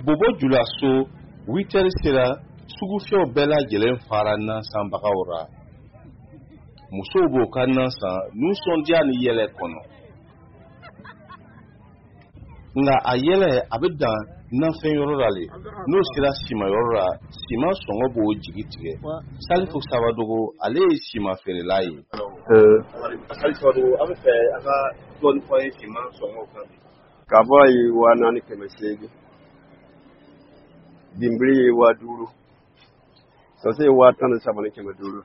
Bobo Julaso, 8 heures sera, sugufiyɛw bɛɛ lajɛlen fara nansanbagaw ra. Musow b'o ka nan san nisɔndiya ni yɛlɛ kɔnɔ, nka a yɛlɛ a bɛ dan nafɛn yɔrɔ la le. N'o sera siman yɔrɔ la, siman sɔngɔ b'o jigi tigɛ. Salifu Sabadogo, ale ye siman feerela ye. Salifu Sabadogo, an bɛ fɛ a ka dɔɔni fɔ an ye siman sɔngɔ kan. Kaba ye 4800, binbiri ye 5000, sɔsɛ ye 13,500.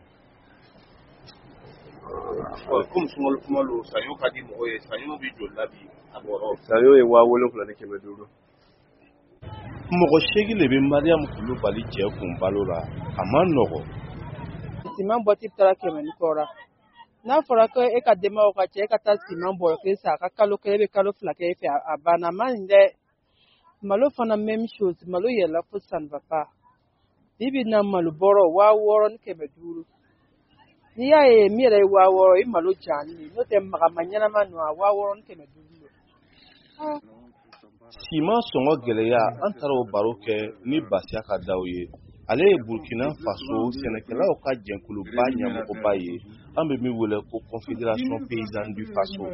Komi sunkalo kuma lo, saɲɔ ka di mɔgɔ ye, saɲɔ bɛ joli la bi a bɔrɔ? Saɲɔ ye 7500. Mɔgɔ 8 le bɛ Mariam Kulubali cɛ kun balo la, a man nɔgɔ. Siman bɔti taara 100 ni kɔ la. N'a fɔra ko e ka denbayaw ka cɛ, e ka taa siman bɔrɔ kelen san, a ka kalo 1, e bɛ kalo 2 kɛ e fɛ, a banna, a man ɲi dɛ. Malo fana, même chose, malo yɛlɛla fo ça ne va pas. Bi bi in na, malo bɔrɔ 6500. N'i y'a ye min yɛrɛ ye 6000, i malo jalen ye, n'o tɛ magama ɲɛnama ninnu, a 6500 don. Siman sɔngɔ gɛlɛya, an taara o baro kɛ ni Basiyaka Daw ye. Ale ye Burkina Faso sɛnɛkɛlaw ka jɛkuluba ɲɛmɔgɔba ye, an bɛ min wele ko Confédération paysanne du Faso.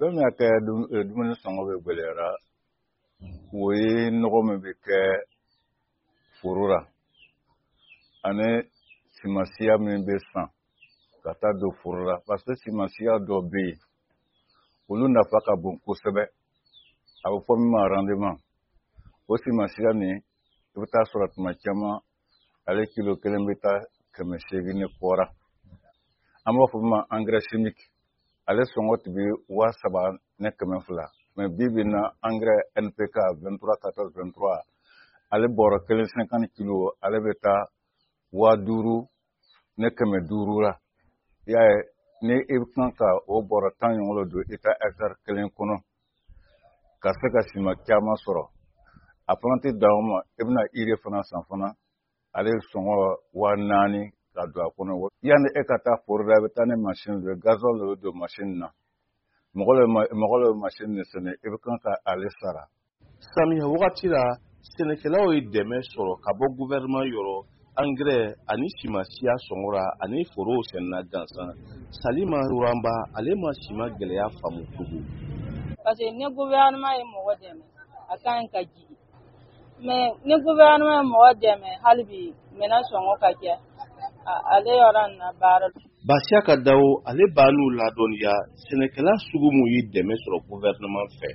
Fɛn min y'a kɛ dumuni sɔngɔ bɛ gɛlɛyara, o ye nɔgɔ min bɛ kɛ foro la ani simansiya min bɛ san ka taa don foro la, parce que simansiya dɔ bɛ yen, olu nafa ka bon kosɛbɛ, a bɛ fɔ min ma rendement. O simansiya nin, i bɛ taa sɔrɔ tuma caman ale kilo kelen bɛ taa 800 ni kɔra. An b'a fɔ min ma engrais chimique, ale sɔngɔ tun bɛ 3200, mais bi bi in na, engrais NPK 23 14 23, ale bɔrɔ kelen 50 kilo, ale bɛ taa 5500 la. I y'a ye, ni i bɛ kan ka o bɔrɔ 10 ɲɔgɔn don i ka hectare kelen kɔnɔ ka se ka siman caman sɔrɔ, a fana tɛ dan o ma, i bɛna urée fana san fana, ale sɔngɔ 4000 ka don a kɔnɔ. Yanni e ka taa foro la, i bɛ taa ni mansin de ye, gasoil de bɛ don mansin na, mɔgɔ de bɛ mansin de sɛnɛ, i bɛ kan ka ale sara. Samiya wagati la, sɛnɛkɛlaw ye dɛmɛ sɔrɔ ka bɔ gouvernement yɔrɔ, angɛrɛ ani simansiya sɔngɔ ra ani forow sɛnɛna gansan. Salima Ruranba, ale ma siman gɛlɛya faamu tugun. Parce que ni gouvernement ye mɔgɔ dɛmɛ, a ka ɲi ka jigin, mais ni gouvernement ye mɔgɔ dɛmɛ hali bi, minɛn sɔngɔ ka kɛ ale yɔrɔ nin na baara. Basiyaka Dawo, ale b'a n'u ladɔnniya sɛnɛkɛla sugu mun ye dɛmɛ sɔrɔ gouvernement fɛ.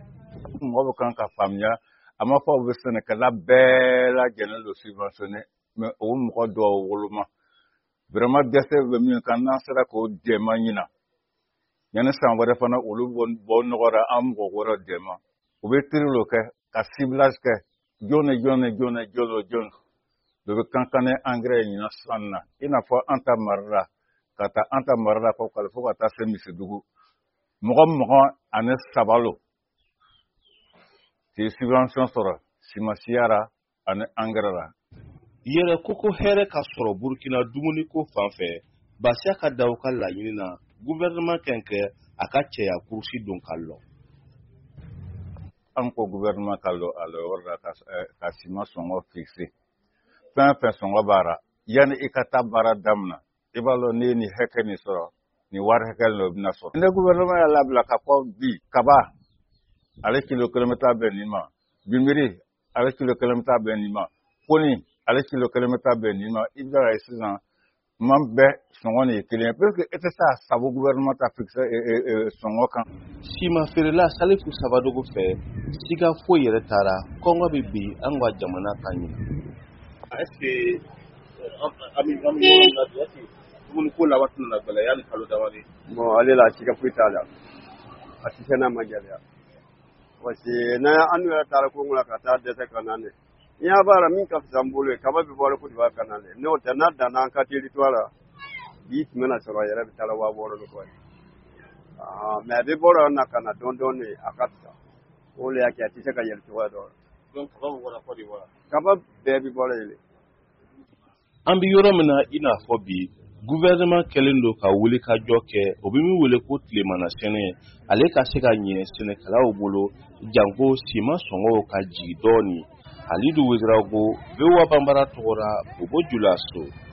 Mɔgɔ bɛ kan ka faamuya, a ma fɔ u bɛ sɛnɛkɛla bɛɛ lajɛlen don subventionné, mais o mɔgɔ dɔw woloma vraiment dɛsɛ bɛ min kan, n'an sera k'o dɛmɛ ɲina, yanni san wɛrɛ fana olu bɔ nɔgɔra, an mɔgɔ wɛrɛ dɛmɛ. U bɛ tri lo kɛ ka ciblage kɛ, jɔn ni jɔn ni jɔn ni jɔn ni jɔn de bɛ kan kan ni engrais ɲina san na, i n'a fɔ an ta mara la, ka taa an ta mara la fo ka taa se Misidugu, mɔgɔ 23 lo k'i subvention sɔrɔ simansiya ra ani engrais la. Yɛrɛ koko hɛrɛ ka sɔrɔ Burkina dumuniko fan fɛ, Basiyaka Daw ka laɲini na, gouvernement kɛn kɛ a ka cɛya kurusi don ka lɔ. An ko gouvernement ka lɔ a lɔyɔrɔ la ka siman sɔngɔ fixe. Fɛn fɛn sɔngɔ b'a ra, yanni i ka taa baara daminɛ, i b'a lɔn n'i ye nin hakɛ nin sɔrɔ, nin wari hakɛ nin o bɛna sɔrɔ. Ni gouvernement y'a labila ka fɔ bi kaba ale kilo kelen bɛ taa bɛn nin ma, binbiri ale kilo kelen bɛ taa bɛn nin ma, koni ale kilo kelen bɛ taa bɛn nin ma, i bɛ ye sisan man bɛɛ sɔngɔ nin ye kelen ye, parce que e tɛ se a sago gouvernement ta fixe sɔngɔ kan. Siman feerela Salifu Sabadogo fɛ, siga foyi yɛrɛ taara, kɔngɔ bɛ bin an ka jamana kan ɲina. Est ce que an bɛ yɔrɔ min na bi, est ce que dumuni ko laban tɛna na gɛlɛya yanni kalo damadɔ? Bon, ale la siga foyi t'a la, a tɛ se n'a ma gɛlɛya, parce que n'an an yɛrɛ taara kongo la ka taa dɛsɛ ka na dɛ, n'i y'a b'a la min ka fisa n bolo ye, kaba bɛ bɔ Côte d'Ivoire ka na dɛ. N'o tɛ, n'a danna an ka territoire la bi, tun bɛna sɔrɔ a yɛrɛ bɛ taa 6000 ni kɔ ye, mais a bɛ bɔ na ka na dɔɔni dɔɔni, a ka fisa. O de y'a kɛ a tɛ se ka yɛlɛ cogoya dɔ la. Donc kaba bɛ bɔra Côte d'Ivoire? Kaba bɛɛ bɛ bɔra yen. An bɛ yɔrɔ min na i n'a fɔ bi, Gouvernement kɛlen don ka wulikajɔ kɛ, o bɛ min wele ko tilemana sɛnɛ, ale ka se ka ɲɛ sɛnɛkɛlaw bolo, janko siman sɔngɔw ka jigin dɔɔnin. Halidu Ouédraogo, VOA Banbara tɔgɔ la, Bobo Julaso.